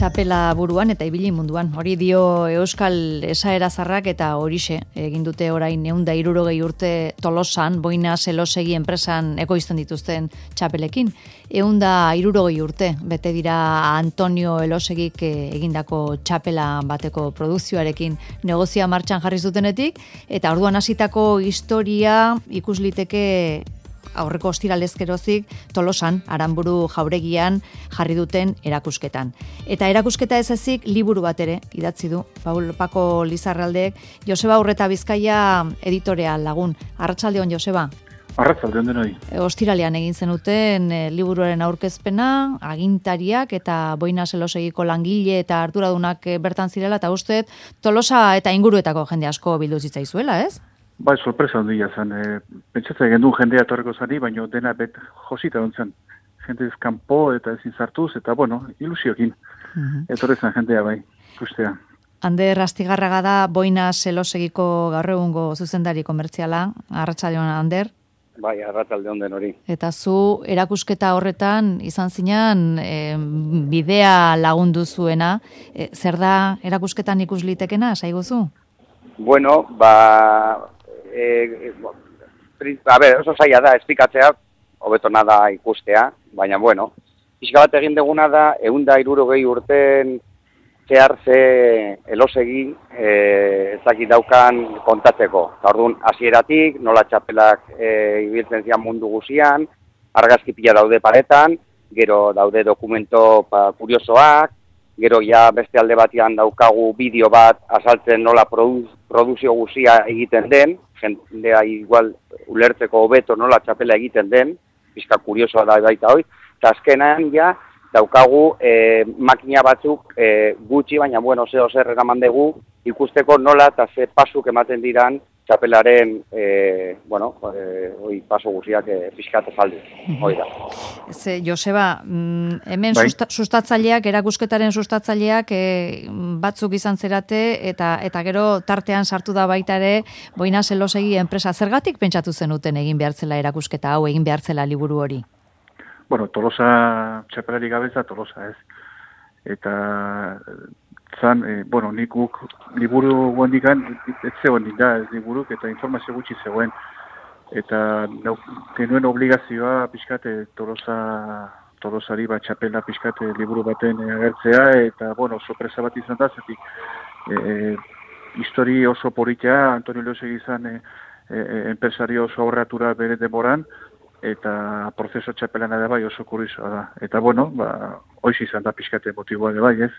txapela buruan eta ibili munduan. Hori dio Euskal Esaera Zarrak eta horixe egin dute orain 160 urte Tolosan, Boinas Elosegi enpresan ekoizten dituzten txapelekin. 160 urte bete dira Antonio Elosegik egindako txapela bateko produkzioarekin negozia martxan jarri zutenetik, eta orduan hasitako historia ikus liteke aurreko ostiralezkerozik Tolosan, Aranburu jauregian jarri duten erakusketan. Eta erakusketa ez ezik liburu bat ere idatzi du Paco Lizarraldek, Joseba Urreta Bizkaia editorea lagun. Arratsaldeon, Joseba. Arratsaldeon denoi. Ostiralean egin zenuten liburuaren aurkezpena, agintariak eta Boinas Elosegiko langile eta arduradunak bertan zirela, eta usteet Tolosa eta inguruetako jende asko bildu zitzaizuela, ez? Bai, sorpresa handia zen. Pentsatzen genuen jendea etorriko zani, baina dena josita ontzen. Jende kanpo eta ezin sartuz, eta ilusiokin. Etorri zen jendea bai, ikustea. Ander Astigarraga da Boinas Elosegiko gaur egungo zuzendari komertziala. Arratsaldeon, Ander. Bai, arratsaldeon den hori. Eta zu erakusketa horretan izan zinan bidea lagundu zuena. Zer da erakusketan ikus litekena, saiguzu? Bueno, oso zaila da esplikatzea, hobeto nada ikustea, baina pixka bat egin deguna da 160 urten zehar ze Elosegi ezakit daukan kontatzeko. Eta orduan hasieratik nola txapelak ibiltzen zian mundu guzian, argazki pila daude paretan, gero daude dokumento kuriosoak, gero ja beste alde batean daukagu bideo bat azaltzen nola produkzio guzia egiten den, jendea igual ulertzeko hobeto nola txapela egiten den, pizka kuriosoa da baita hori, eta azkenan ja daukagu makina batzuk gutxi, baina zer eraman dugu ikusteko nola eta ze pasuk ematen diran txapelaren paso guziak pizkat ezaldu. Hoi da. Joseba, hemen sustatzaileak, erakusketaren sustatzaileak batzuk izan zerate eta gero tartean sartu da baita ere Boinas Elosegi enpresa. Zergatik pentsatu zenuten egin behartzela erakusketa hau, egin behartzela liburu hori? Tolosa txapelari gabeza Tolosa ez. Eta zan, nik liburu guandikan, ez zegoen da ez liburuk, eta informazio gutxi zegoen. Eta genuen obligazioa pixkate Tolosari txapela pixkate liburu baten agertzea, eta sorpresa bat izan da, zetik histori oso politia, Antonio Elosegi izan enpresario oso aurratura bere demoran, eta prozeso txapelana da bai oso kuriosoa da. Eta hoiz izan da pixkate motiboa da bai, ez?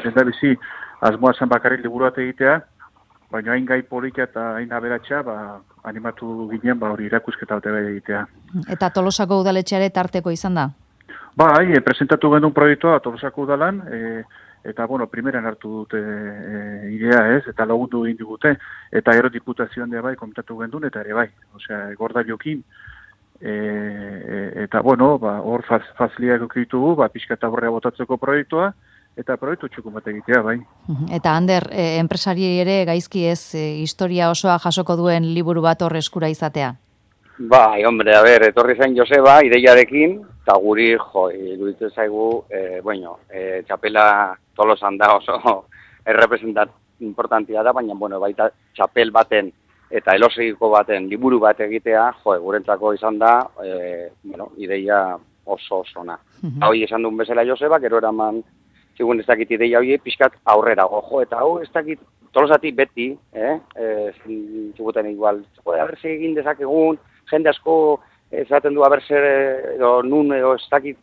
Zenda bizi, asmoa zan bakarrik liburu bat egitea, baina hain gai politia eta hain aberatxa, animatu ginen hori erakusketa bat egitea. Eta Tolosako udaletxeare tarteko izan da? Bai, presentatu genuen proiektua Tolosako udalan, eta primeran hartu dute idea ez, eta lagundu egin digute, eta gero diputazioan da bai, komentatu genuen, eta ere bai, Gordailokin, eta hor faziliak okitugu, pixkata horrea botatzeko proiektua, eta proiektu txukun bat egitea, bai. Eta Ander, enpresari ere gaizki ez historia osoa jasoko duen liburu bat hor eskura izatea? Bai, hombre, etorri zen Joseba ideiarekin, eta guri, iruditzen zaigu, txapela Tolosan da oso errepresentat importantia da, baina, baita txapel baten eta Elosegiko baten liburu bat egitea, gurentzako izan da, ideia oso ona. Hoi esan duen bezala Joseba, gero eraman, zigun ez dakit ideia hori, pixkat aurrera eta hau ez dakit Tolosatik beti, ziguten igual, haberse egin dezakegun, jende asko esaten du haberse, nun, ez dakit,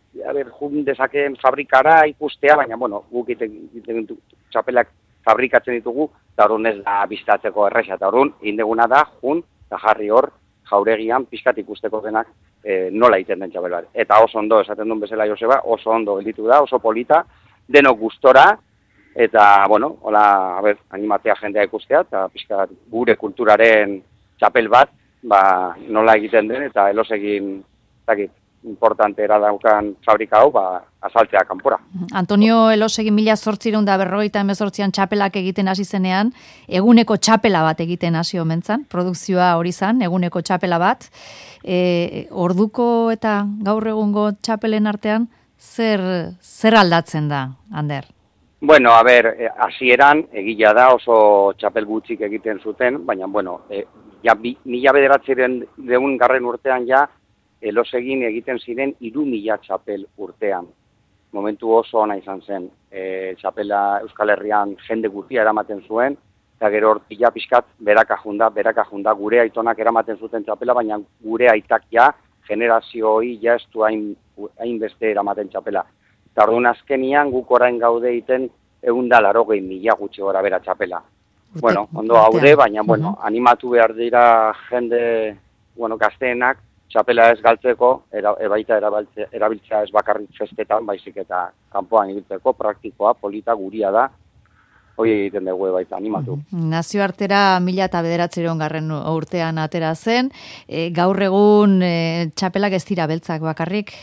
jun dezakeen fabrikara ikustea, baina, guk egiten txapelak fabrikatzen ditugu, eta horren ez da biztatzeko erresa, eta horren indeguna da, jun, eta jarri hor, jauregian, pixkat ikusteko denak nola egiten den txapel bat. Eta oso ondo, esaten duen bezala Joseba, oso ondo gelditu da, oso polita, denok gustora, eta, animatzea jendea ikustea, eta pixkat gure kulturaren txapel bat, nola egiten den, eta Elosegin, importantera daukan fabrika hau, azaltzea kanpora. Antonio Elosegi 1858an txapelak egiten hasi zenean, eguneko txapela bat egiten hasi omentzan, produkzioa hori zan, eguneko txapela bat. Orduko eta gaur egungo txapelen artean, zer aldatzen da, Ander? Bueno, a ber, hasieran egia da oso txapel gutxik egiten zuten, baina, bueno, ja 1900 urtean ja, elosegin egiten ziren 3000 txapel urtean. Momentu oso ona izan zen. Txapela Euskal Herrian jende guztia eramaten zuen, eta gero hortila pixkat beraka junda, gure aitonak eramaten zuten txapela, baina gure aitak ja, generazio hori ja ez du hainbeste eramaten txapela. Eta orduan azkenian guk orain gaude iten 180.000 gutxi gora bera txapela. Bueno, ondo gaude, baina, bueno, animatu behar dira jende, bueno, gazteenak, txapela ez galtzeko, baita erabiltzea ez bakarrik festetan, baizik eta kanpoan ibiltzeko, praktikoa, polita, guria da, hori egiten dugu baita, animatu. Nazioartera 1909 urtean atera zen, gaur egun txapelak ez dira beltzak bakarrik,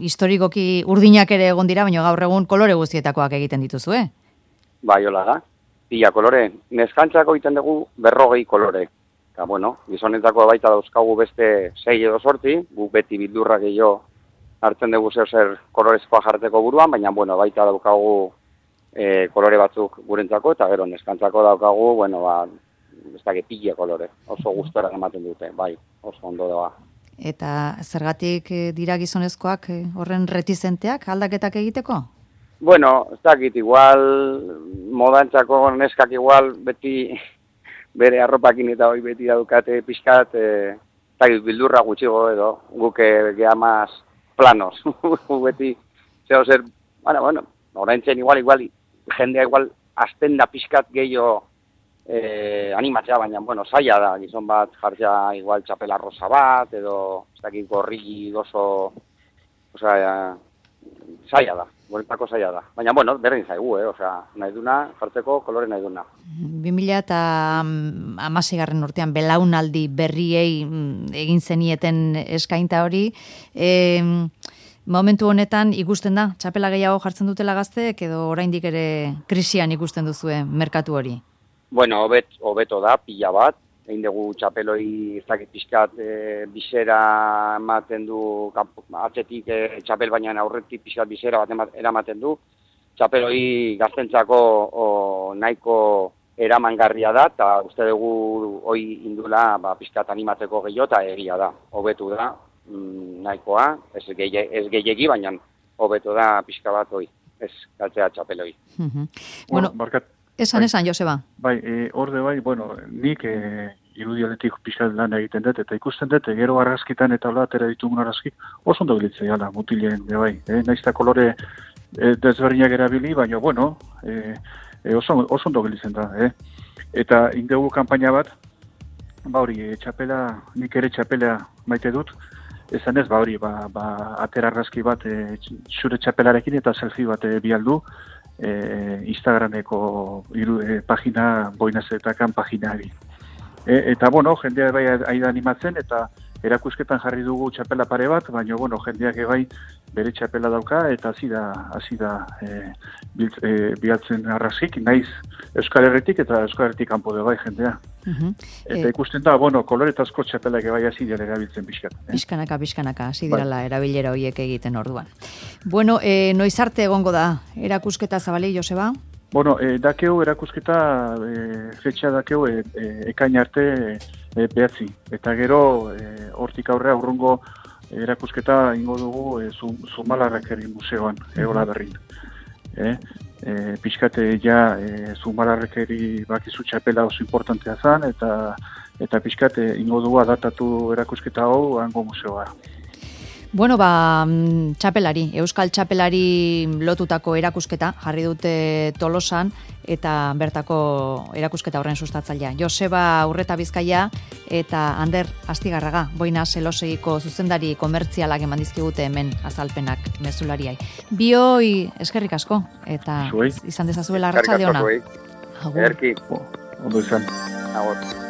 historikoki urdinak ere egon dira, baina gaur egun kolore guztietakoak egiten dituzu, Bai, hola da, pila kolore. Neskantzako egiten dugu 40 kolore. Eta, bueno, gizonetako baita dauzkagu beste 6 edo 8, guk beti bildurra gehiago hartzen dugu zer kolorezkoa jarteko buruan, baina, bueno, baita daukagu kolore batzuk gurentzako, eta gero neskantzako daukagu, bueno, ez da pila kolore, oso gustora ematen dute, bai, oso ondo doa. Eta zergatik dira gizonezkoak horren retizenteak aldaketak egiteko? Bueno, ez dakit, igual, modantzako neskak igual beti bere arropakin eta hori beti daukate pixkat, bildurra gutxigo edo, guke gehamaz planos, beti, zer, bueno, oraintzen igual, jendea igual, azten da pixkat gehiago animatzea, baina, bueno, zaila da, gizon bat jartzea igual txapela rosa bat, edo, ez dakit, gorri oso, zaila da. Guretako zaila da. Baina, bueno, berdin zaigu, nahi duna, jartzeko kolore nahi duna. 2016 urtean belaunaldi berriei egin zenieten eskainta hori. Momentu honetan ikusten da, txapela gehiago jartzen dutela gazteek, edo oraindik ere krisian ikusten duzue merkatu hori? Bueno, hobeto da, pila bat. Egin dugu txapeloi ez dakit pixkat bisera ematen du, atzetik txapel baina aurretik pixkat bisera bat eramaten du. Txapeloi gaztentzako nahiko eramangarria da, eta uste dugu hoi indula pixkat animatzeko gehiago, eta egia da, hobetu da, nahikoa, ez gehiegi, baina hobetu da pixka bat hoi, ez galtzea txapeloi. Bueno, esan, Joseba. Bai, horde bai, bueno, nik irudialetik pixkat lan egiten dut, eta ikusten dut, gero argazkitan eta hola atera ditugun argazkik, oso ondo gilitzea gala, mutilen, bai, naizta kolore desberdinak erabili, baina, bueno, oso ondo gilitzen da, Eta indegu kanpaina bat, hori, txapela, nik ere txapela maite dut, esan ez, hori, atera argazki bat zure txapelarekin eta selfie bat bialdu, Instagrameko pagina, boinazetakan paginari. Eta, bueno, jendea bai aida animatzen, eta erakusketan jarri dugu txapela pare bat, baina, bueno, jendeak bai bere txapela dauka, eta hasi da bialtzen arrazik, naiz Euskal Herritik eta Euskal Herritik kanpo bai jendea. Eta ikusten da, bueno, koloretazko txapelak bai hasi dira erabiltzen pixkat. Pixkanaka, hasi dirala erabilera horiek egiten orduan. Bueno, noiz arte egongo da erakusketa Zabali, Joseba? Bueno, dakeu erakusketa, fetxa dakeu ekain arte 9. Eta gero, hortik aurrea urrungo erakusketa ingo dugu Zumalarrakeri museoan, Egola Berrin. Pixkate ja Zumalarrakeri bakizu txapela oso importantea zan, eta pixkate ingo dugu adatatu erakusketa hau hango museoa. Bueno, txapelari, Euskal txapelari lotutako erakusketa jarri dute Tolosan eta bertako erakusketa horren sustatzailea. Joseba Urreta Bizkaia eta Ander Astigarraga, Boina Zelosegiko zuzendari komertzialak eman dizkigute hemen azalpenak mezulariai. Bioi eskerrik asko eta izan dezazuela arratsalde ona. Eskerrik asko. Ondo izan. Agur.